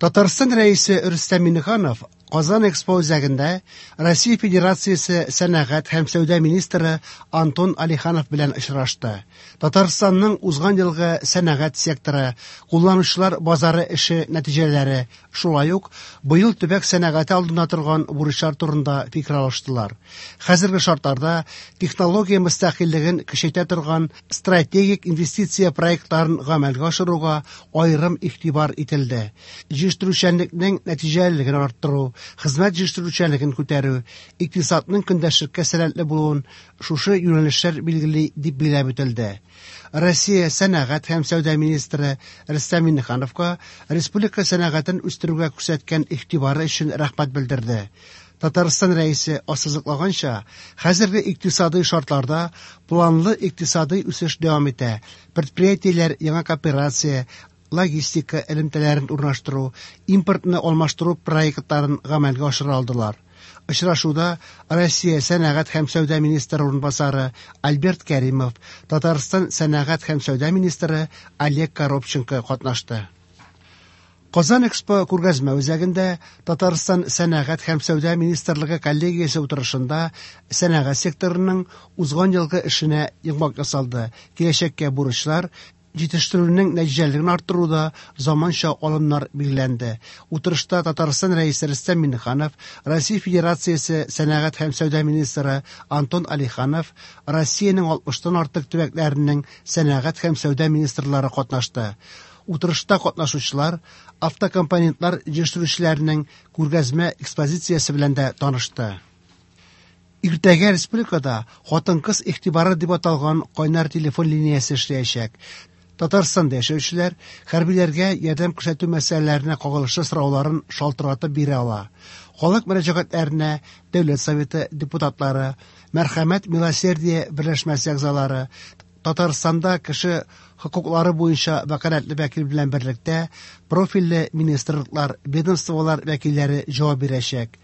Татарстан Рәисе Рөстәм Миңнеханов Казан Экспо үзәгендә Россия Федерациясе сәнәгать һәм сәүдә министры Антон Алиханов белән очрашты. Татарстанның узган елгы сәнәгать секторы, кулланучылар базары эше нәтиҗәләре, шулай ук быел төбәк сәнәгате алдында торган бурычлар турында фикер алыштылар. Хәзерге шартларда технология мөстәкыйльлеген көчәйтә торган стратегик инвестиция проектларын гамәлгә ашыруга аерым игътибар ителде. Җитештерүчәнлекнең нәтиҗәлелеген арттыру, хезмәт җитештерүчәнлеген күтәрү, икътисадның көндәшлеккә сәләтле булуын шушы юнәлешләр билгели, дип билгеләп үтелде. Россия сәнәгать һәм сәүдә министры Рөстәм Миңнехановка республика сәнәгатен үстерүгә күрсәткән игътибары өчен рәхмәт белдерде. Татарстан Рәисе ассызыклаганча, хәзерге икътисадый шартларда планлы икътисадый үсеш дәвам итә, предприятиеләр яңа кооперация, логистика элемтәләрен урнаштыру, импортны алмаштыру проектларын гамәлгә ашыра алдылар. Очрашуда Россия сәнәгать һәм сәүдә министры урынбасары Альберт Кәримов, Татарстан сәнәгать һәм сәүдә министры Олег Коробченко катнашты. Казан Экспо күргәзмә үзәгендә Татарстан сәнәгать һәм сәүдә министрлыгы коллегиясе утырышында сәнәгать секторының узган елгы эшенә йомгак ясалды, киләчәккә бурычлар, җитештерүнең нәтиҗәлелеген арттыруда заманча алымнар билгеләнде. Утырышта Татарстан Рәисе Рөстәм Миңнеханов, Россия Федерациясе сәнәгать һәм сәүдә министры Антон Алиханов, Россиянең 60-тан артык төбәкләренең сәнәгать һәм сәүдә министрлары катнашты. Утырышта катнашучылар автокомпонентлар җитештерүчеләренең күргәзмә экспозициясе белән дә танышты. Иртәгә республикада Хатын-кыз игътибары дип аталган кайнар телефон линиясе эшләячәк. Татарстанда яшәүчеләр хәрбиләргә ярдәм күрсәтү мәсьәләләренә кагылышлы сорауларын шалтыратып бирә ала. Халык мөрәҗәгатьләренә Дәүләт Советы депутатлары, Мәрхәмәт милосердие берләшмәсе әгъзалары, Татарстанда кеше хокуклары буенча вәкаләтле вәкил белән берлектә профильле министрлыклар, ведомстволар вәкилләре җавап бирәчәк.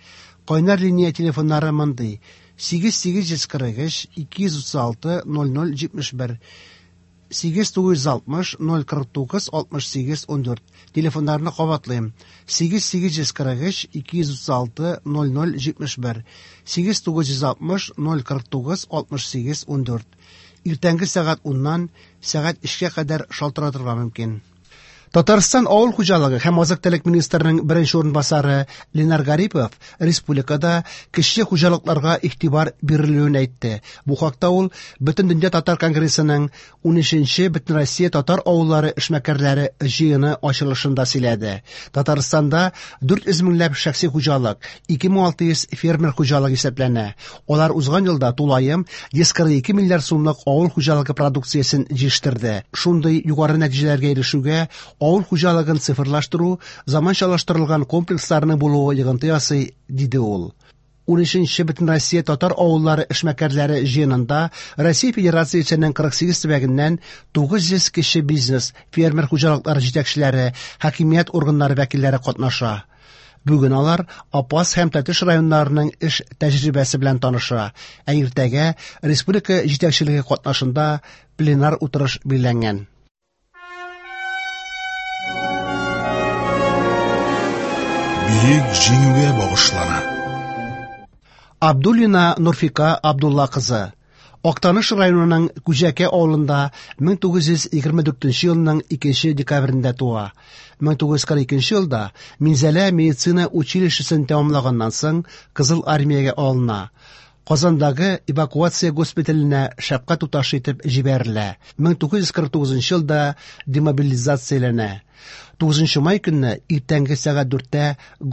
Кайнар линия телефоннары мондый: 8843 236 0071, 8960 049 68 14. Телефоннарны кабатлыйм: 8843 236 0071, 8960 049 68 14. Иртәнге сәгать 10-нан сәгать 3-кә кадәр шалтыратырга мөмкин. Татарстан авыл хуҗалыгы һәм азык-төлек министрының беренче урынбасары Ленар Гарипов республикада кече хуҗалыкларга игътибар бирелүен әйтте. Бу хакта ул Бөтендөнья татар конгрессының 13нче Бөтенроссия татар авыллары эшмәкәрләре җыены ачылышында сөйләде. Татарстанда 400 меңләп шәхси хуҗалык, 2600 фермер хуҗалыгы исәпләнә. Алар узган елда тулаем 142 миллиард сумлык авыл хуҗалыгы продукциясен җитештерде. Шундый югары нәтиҗәләргә ирешүгә авыл хуҗалыгын цифрлаштыру, заманчалаштырылган комплексларның булуы йогынты ясый, диде ул. 13нче Бөтенроссия татар авыллары эшмәкәрләре җыенында Россия Федерациясенең 48 төбәгеннән 900 кече бизнес, фермер хуҗалыклары җитәкчеләре, хакимият органнары вәкилләре катнаша. Бүген алар Апас һәм Тәтеш районнарының эш тәҗрибәсе белән таныша, ә иртәгә республика җитәкчелеге катнашында пленар утырыш билгеләнгән. Бөек Җиңүгә багышлана. Абдуллина Нурфика Абдулла кызы Актаныш районының Күҗәкә авылында 1924 елның 2 декабрендә туа. 1942 елда Минзәлә медицина училищесын тәмамлаганнан соң Кызыл армиягә алына. Казандагы эвакуация госпиталенә шәфкать туташы итеп җибәрелә. 1949 елда демобилизацияләнә. 9 май көнне иртәнге сәгать 4-тә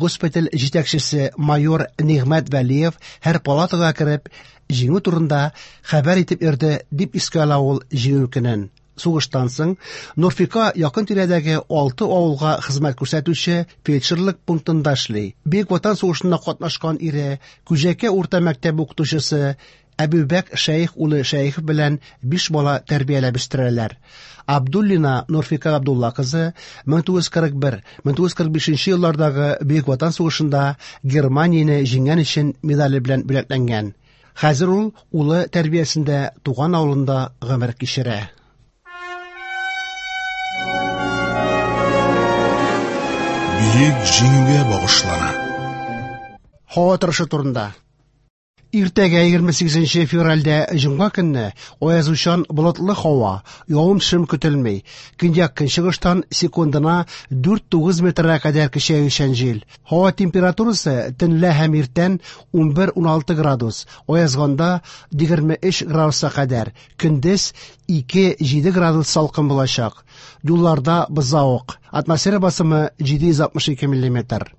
госпиталь җитәкчесе майор Нигъмәт Вәлиев һәр палатага кереп, җиңү турында хәбәр итеп йөрде, дип искә ала ул җиңү көнен. Сугыштан соң Нурфика якын тирәдәге 6 авылга хезмәт күрсәтүче фельдшерлык пунктында эшли. Бөек Ватан сугышында катнашкан ире Күҗәкә урта мәктәбе укытучысы Әбүбәк Шәех улы Шәехов белән 5 бала тәрбияләп үстерәләр. Абдуллина Нурфика Абдулла кызы 1941-1945 еллардагы Бөек Ватан сугышында Германияне җиңгән өчен медале белән бүләкләнгән. Хәзер ул улы тәрбиясендә туган авылында гомер кичерә. Бөек Җиңүгә багышлана. Һава торышы турында. Иртәгә 28 февральдә җомга көнне аязучан болытлы һава, явым-төшем көтелми. Көньяк-көнчыгыштан секундына 4-9 метрга кадәр көчәючән җил. Һава температурасы төнлә һәм иртән 11-16 градус, аязганда 23 градуска кадәр, көндез 2-7 градус салкын булачак. Юлларда бозавык. Атмосфера басымы 762 миллиметр.